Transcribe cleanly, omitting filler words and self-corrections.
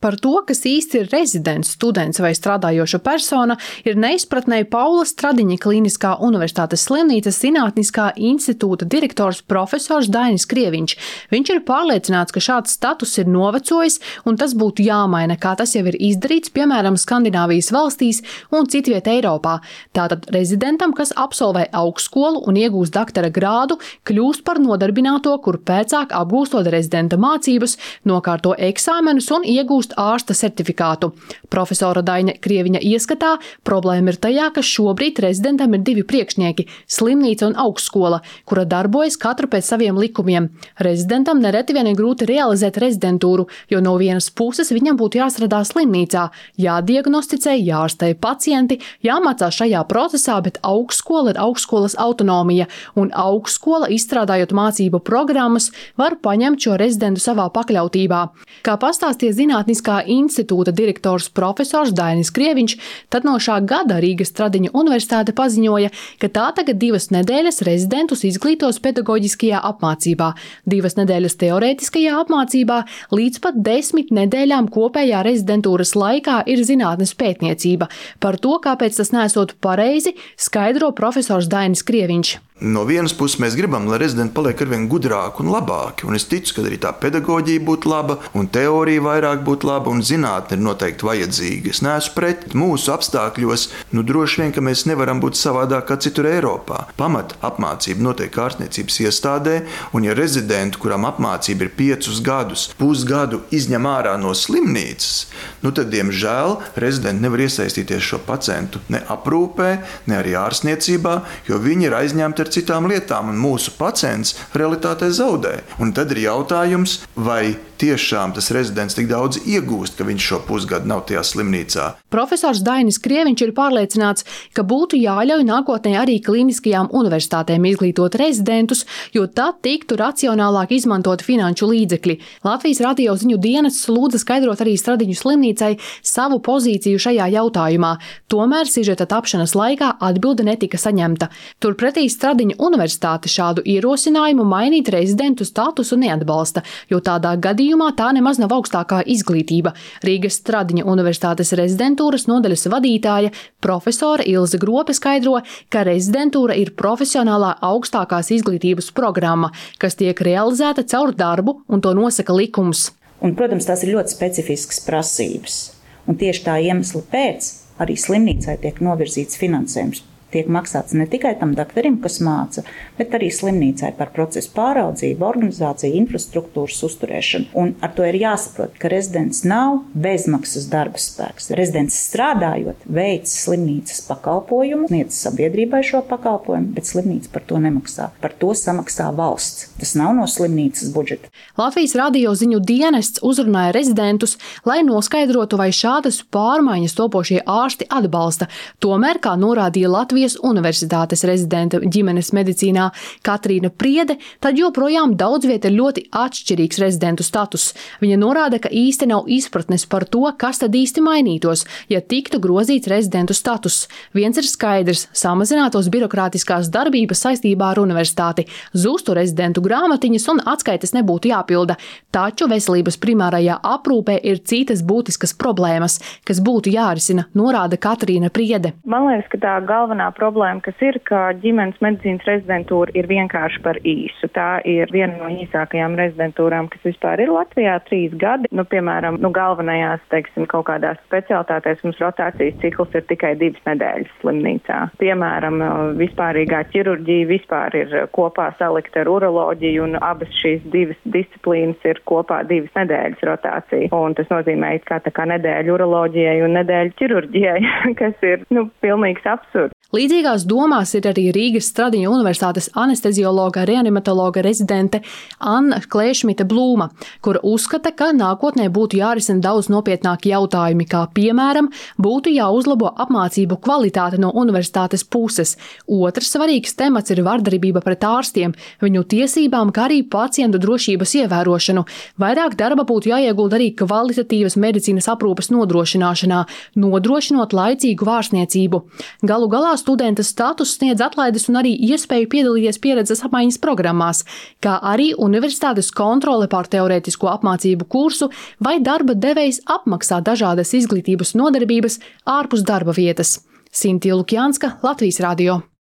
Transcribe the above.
Par to, kas īsti ir rezidents, students vai strādājoša persona, ir neizpratnē Paula Stradiņa Kliniskā universitātes slimnīcas Zinātniskā institūta direktors profesors Dainis Krieviņš. Viņš ir pārliecināts, ka šāds status ir novecojis un tas būtu jāmaina, kā tas jau ir izdarīts, piemēram, Skandināvijas valstīs un citviet Eiropā. Tātad rezidentam, kas absolvē augstskolu un iegūst doktora grādu, kļūst par nodarbināto, kur pēcāk apgūstot rezidenta mācības, nokārto eksāmenus un iegūst ārsta certifikātu. Profesora Daina Krieviņa ieskatā problēma ir tajā, ka šobrīd rezidentam ir divi priekšnieki – slimnīca un augstskola, kura darbojas katru pēc saviem likumiem. Rezidentam nereti vien ir grūti realizēt rezidentūru, jo no vienas puses viņam būtu jāstrādā slimnīcā, jādiagnosticē, jārastē pacienti, jāmācās šajā procesā, bet augstskola ir augstskolas autonomija, un augstskola, izstrādājot mācību programmas, var paņemt šo rezidentu savā pakļautībā. Kā pastāstīja Zinātniskā institūta direktors profesors Dainis Krieviņš, tad no šā gada Rīgas Stradiņa universitāte paziņoja, ka tā tagad 2 nedēļas rezidentus izglītos pedagoģiskajā apmācībā, 2 nedēļas teorētiskajā apmācībā, līdz pat 10 nedēļām kopējā rezidentūras laikā ir zinātnes pētniecība. Par to, kāpēc tas nesot pareizi, skaidro profesors Dainis Krieviņš. No vienas puses mēs gribam, lai rezidenti paliek arvien gudrāki un labāki, un es ticu, ka arī tā pedagoģija būtu laba, un teorija vairāk būtu laba, un zinātne ir noteikti vajadzīga. Es neesmu pret mūsu apstākļos, droši vien, ka mēs nevaram būt savādāk kā citur Eiropā. Pamat apmācība notiek ārstniecības iestādē, un ja rezidentu, kuram apmācība ir 5 gadus, pusgadu izņem ārā no slimnīcas, tad, diemžēl, rezidenti nevar iesaistīties šo pacientu ne aprūpē, ne arī ārstniecībā, jo viņi ir aizņemti ar citām lietām, un mūsu pacients realitātē zaudē. Un tad ir jautājums, vai tiešām tas rezidents tik daudz iegūst, ka viņš šo pusgadu nav tajā slimnīcā. Profesors Dainis Krieviņš ir pārliecināts, ka būtu jāļauj nākotnē arī kliniskajām universitātēm izglītot rezidentus, jo tad tiktu racionālāk izmantot finanšu līdzekļi. Latvijas radio ziņu dienests lūdza skaidrot arī Stradiņu slimnīcai savu pozīciju šajā jautājumā. Tomēr sižeta tapšanas laikā atbilde netika saņemta. Turpretī Stradiņa universitāte šādu ierosinājumu mainīt rezidentu statusu neatbalsta, jo tādā gadījumā tā nemaz nav augstākā izglītība. Rīgas Stradiņa universitātes rezidentūras nodaļas vadītāja profesora Ilze Grope skaidro, ka rezidentūra ir profesionālā augstākās izglītības programma, kas tiek realizēta caur darbu, un to nosaka likums. Un, protams, tās ir ļoti specifiskas prasības. Un tieši tā iemesla pēc arī slimnīcai tiek novirzīts finansējums. Tiek maksāts ne tikai tam doktorim, kas māca, bet arī slimnīcai par procesu pāraudzību, organizāciju, infrastruktūras uzturēšanu. Un ar to ir jāsaprot, ka rezidents nav bezmaksas darba spēks. Rezidents strādājot, veic slimnīcas pakalpojumu, sniedz sabiedrībai šo pakalpojumu, bet slimnīca par to nemaksā. Par to samaksā valsts. Tas nav no slimnīcas budžeta. Latvijas radio ziņu dienests uzrunāja rezidentus, lai noskaidrotu, vai šādas pārmaiņas topošie ārsti atbalsta. Tomēr, kā norādīja Latvijas universitātes rezidenta ģimenes medicīnā Katrīna Priede, tad joprojām daudz viet ir ļoti atšķirīgs rezidentu status. Viņa norāda, ka īsti nav izpratnes par to, kas tad īsti mainītos, ja tiktu grozīts rezidentu status. Viens ir skaidrs – samazinātos birokrātiskās darbības saistībā ar universitāti, zustu rezidentu grāmatiņas un atskaites nebūtu jāpilda. Taču veselības primārajā aprūpē ir citas būtiskas problēmas, kas būtu jārisina, norāda Katrīna Priede. Man liekas, ka tā galvenā problēma, kas ir, ka ģimenes medicīnas rezidentūra ir vienkārši par īsu. Tā ir viena no īsākajām rezidentūrām, kas vispār ir Latvijā 3 gadi. Piemēram, galvenajās, kaut kādās specialitātēs mums rotācijas cikls ir tikai 2 nedēļas slimnīcā. Piemēram, vispārīgā ķirurģija vispār ir kopā salikta ar uroloģiju, un abas šīs 2 disciplīnas ir kopā 2 nedēļas rotācija. Un tas nozīmē, ka tā kā nedēļa uroloģijai un nedēļa ķirurģijai, kas ir, pilnīgs absurds. Līdzīgās domās ir arī Rīgas Stradiņa universitātes anesteziologa reanimatologa rezidente Anna Klēšmita Blūma, kura uzskata, ka nākotnē būtu jārisina daudz nopietnāki jautājumi, kā piemēram būtu jāuzlabo apmācību kvalitāte no universitātes puses. Otrs svarīgs temats ir vardarbība pret ārstiem, viņu tiesībām, kā arī pacientu drošības ievērošanu. Vairāk darba būtu jāiegulda arī kvalitatīvas medicīnas aprūpes nodrošināšanā, nodrošinot laicīgu ārstniecību. Galu galā studenta status sniedz atlaides un arī iespēju piedalīties pieredzes apmaiņas programmās, kā arī universitātes kontrole pār teorētisko apmācību kursu vai darba devējs apmaksā dažādas izglītības nodarbības ārpus darba vietas. Sintīna Lukjanska, Latvijas radio.